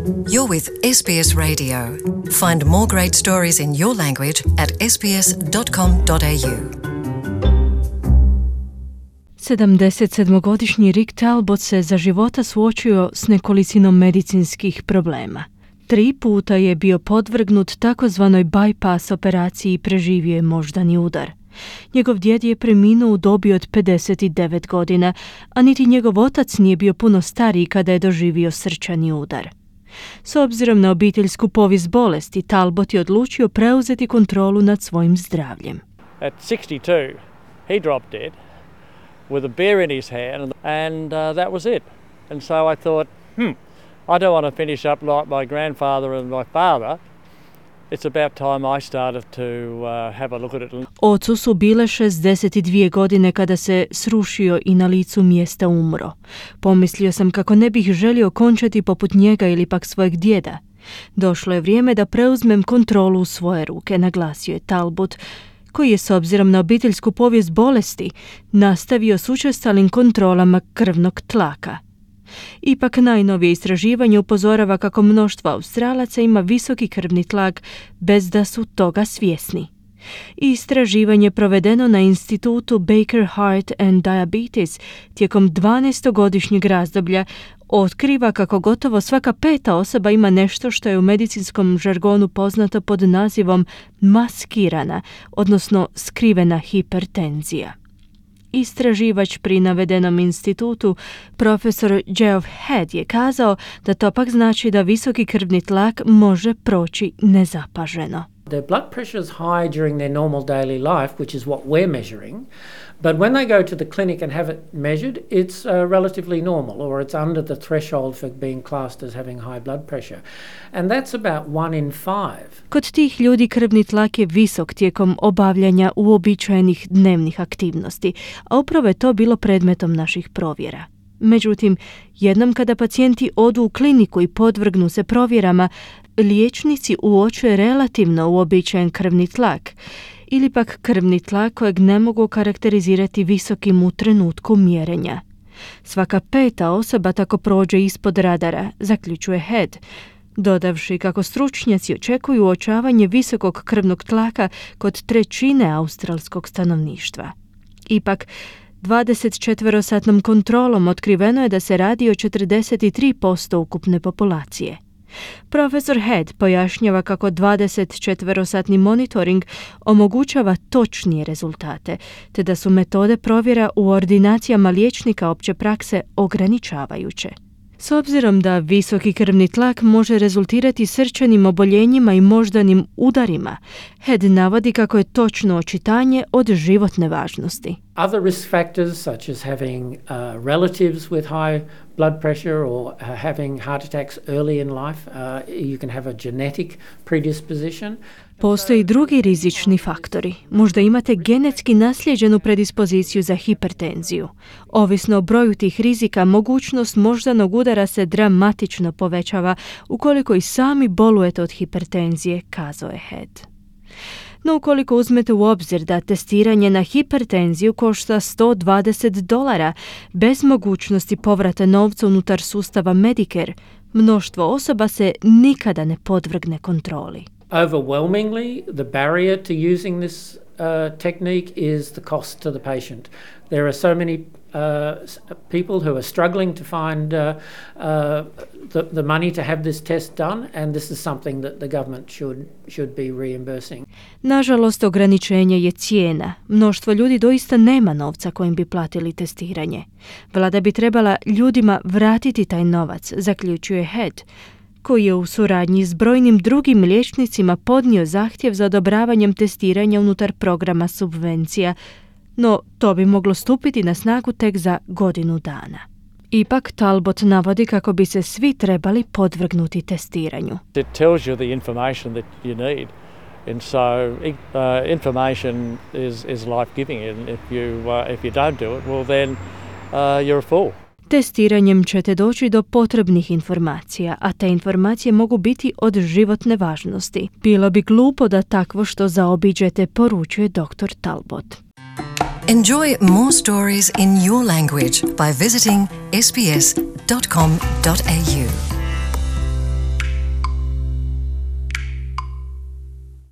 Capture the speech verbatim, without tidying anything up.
You're with S B S Radio. Find more great stories in your language at s b s dot com dot a u. sedamdeset sedmogodišnji Rick Talbot se za života suočio s nekolicinom medicinskih problema. Tri puta je bio podvrgnut takozvanoj bypass operaciji i preživio je moždani udar. Njegov djed je preminuo u dobi od pedeset devet godina, a niti njegov otac nije bio puno stariji kada je doživio srčani udar. S obzirom na obiteljsku povijest bolesti, Talbot je odlučio preuzeti kontrolu nad svojim zdravljem. At sixty-two, he dropped dead with a beer in his hand, and uh, that was it. And so I thought, hmm, I don't want to finish up like my grandfather and my father. It's about time I started to uh, have a look at it. Ocu su bile šezdeset dvije godine kada se srušio i na licu mjesta umro. Pomislio sam kako ne bih želio končati poput njega ili pak svojeg djeda. Došlo je vrijeme da preuzmem kontrolu u svoje ruke, naglasio je Talbot, koji je s obzirom na obiteljsku povijest bolesti nastavio s učestalim kontrolama krvnog tlaka. Ipak najnovije istraživanje upozorava kako mnoštvo Australaca ima visoki krvni tlak bez da su toga svjesni. Istraživanje provedeno na institutu Baker Heart and Diabetes tijekom dvanaestogodišnjeg razdoblja otkriva kako gotovo svaka peta osoba ima nešto što je u medicinskom žargonu poznato pod nazivom maskirana, odnosno skrivena hipertenzija. Istraživač pri navedenom institutu, profesor Geoff Head, je kazao da to pak znači da visoki krvni tlak može proći nezapaženo. Their blood pressure is high during their normal daily life, which is what we're measuring. But when they go to the clinic and have it measured, it's uh, relatively normal, or it's under the threshold for being classed as having high blood pressure. And that's about one in five. Kod tih ljudi krvni tlak je visok tijekom obavljanja uobičajenih dnevnih aktivnosti, a upravo je to bilo predmetom naših provjera. Međutim, jednom kada pacijenti odu u kliniku i podvrgnu se provjerama, liječnici uočuje relativno uobičajen krvni tlak ili pak krvni tlak kojeg ne mogu karakterizirati visokim u trenutku mjerenja. Svaka peta osoba tako prođe ispod radara, zaključuje Head, dodavši kako stručnjaci očekuju uočavanje visokog krvnog tlaka kod trećine australskog stanovništva. Ipak, dvadesetčetverosatnom kontrolom otkriveno je da se radi o četrdeset tri posto ukupne populacije. Profesor Head pojašnjava kako dvadesetčetverosatni monitoring omogućava točnije rezultate, te da su metode provjera u ordinacijama liječnika opće prakse ograničavajuće. S obzirom da visoki krvni tlak može rezultirati srčanim oboljenjima i moždanim udarima, Head navodi kako je točno očitanje od životne važnosti. Other risk factors such as having uh, relatives with high blood pressure or uh, having heart attacks early in life, uh, you can have a genetic predisposition. Postoji drugi rizični faktori. Možda imate genetski naslijeđenu predispoziciju za hipertenziju. Ovisno o broju tih rizika, mogućnost moždanog udara se dramatično povećava ukoliko i sami bolujete od hipertenzije, kazao je Head. No ukoliko uzmete u obzir da testiranje na hipertenziju košta sto dvadeset dolara bez mogućnosti povrata novca unutar sustava Medicare, mnoštvo osoba se nikada ne podvrgne kontroli. Overwhelmingly, the barrier to using this uh, technique is the cost to the patient. There are so many uh, people who are struggling to find uh, uh, the, the money to have this test done, and this is something that the government should, should be reimbursing. Nažalost, ograničenje je cijena. Mnoštvo ljudi doista nema novca kojim bi platili testiranje. Vlada bi trebala ljudima vratiti taj novac, zaključuje Head, koji je u suradnji s brojnim drugim liječnicima podnio zahtjev za odobravanjem testiranja unutar programa subvencija, no to bi moglo stupiti na snagu tek za godinu dana. Ipak Talbot navodi kako bi se svi trebali podvrgnuti testiranju. It tells you the information that you need. And so uh, information is, is life-giving, and if you, uh, if you don't do it, well then uh, you're a fool. Testiranjem ćete doći do potrebnih informacija, a te informacije mogu biti od životne važnosti. Bilo bi glupo da takvo što zaobiđete, poručuje doktor Talbot. Enjoy more stories in your language by visiting s b s dot com dot a u.